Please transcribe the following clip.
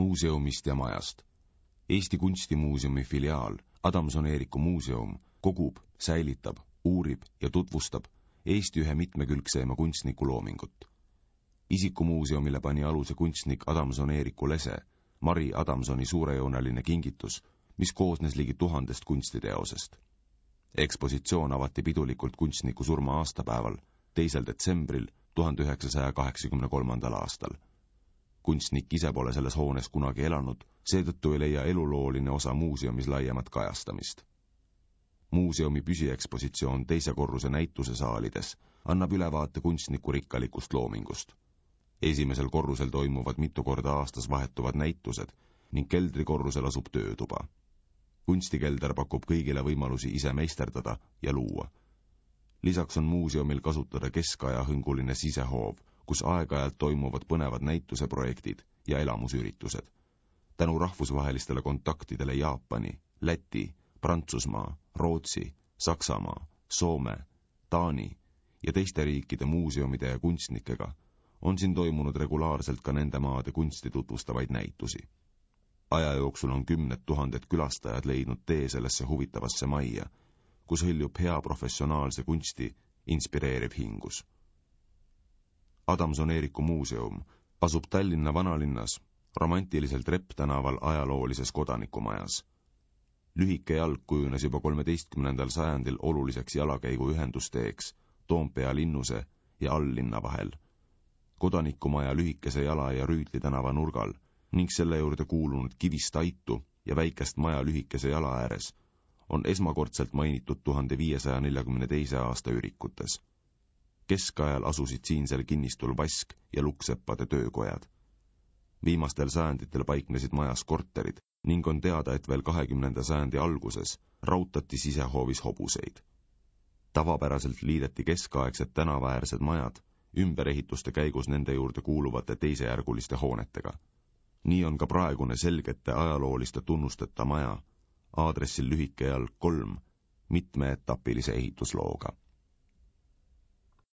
muuseumist ja majast. Eesti Kunstimuuseumi filiaal Adamson-Eeriku muuseum kogub, säilitab, uurib ja tutvustab Eesti ühe mitmekülgseima kunstniku loomingut. Isikumuuseumile pani aluse kunstnik Adamson-Eeriku lese, Mari Adamsoni suurejooneline kingitus, mis koosnes ligi 1000 kunstiteosest. Ekspositsioon avati pidulikult kunstniku surma aastapäeval, 2. detsembril 1983. aastal. Kunstnik ise pole selles hoones kunagi elanud, seetõttu ei leia elulooline osa muuseumis laiemat kajastamist. Muuseumi püsiekspositsioon 2. korruse näituse saalides annab ülevaate kunstniku rikkalikust loomingust. 1. korrusel toimuvad mitu korda aastas vahetuvad näitused ning keldrikorrusel asub töötuba. Kunstikelder pakub kõigile võimalusi ise meisterdada ja luua. Lisaks on muuseumil kasutada keskaja hõnguline sisehoov, kus aeg-ajalt toimuvad põnevad näituseprojektid ja elamusüritused. Tänu rahvusvahelistele kontaktidele Jaapani, Läti, Prantsusmaa, Rootsi, Saksamaa, Soome, Taani ja teiste riikide muuseumide ja kunstnikega on siin toimunud regulaarselt ka nende maade kunsti tutvustavaid näitusi. Aja jooksul on 10 000 külastajad leidnud tee sellesse huvitavasse majja, kus hõljub hea professionaalse kunsti inspireeriv hingus. Adamson-Eeriku muuseum asub Tallinna vanalinnas, romantiliselt Repp tänaval ajaloolises kodanikumajas. Lühike jalg kujunes juba 13. sajandil oluliseks jalakäigu ühendusteeks Toompea linnuse ja alllinna vahel. Kodanikumaja lühikese jala ja Rüütli tänava nurgal ning selle juurde kuulunud kivist aitu ja väikest maja lühikese jala ääres on esmakordselt mainitud 1542. aasta ürikutes. Keskajal asusid siinsel kinnistul Vask ja Lukkseppade töökojad. Viimastel sajanditel paiknesid majas korterid ning on teada, et veel 20. sajandi alguses rautati sisehoovis hobuseid. Tavapäraselt liideti keskaegsed tänavaäärsed majad ümberehituste käigus nende juurde kuuluvate teisejärguliste hoonetega. Nii on ka praegune selgete ajalooliste tunnusteta maja aadressil lühike jalg 3 mitmeetapilise ehituslooga.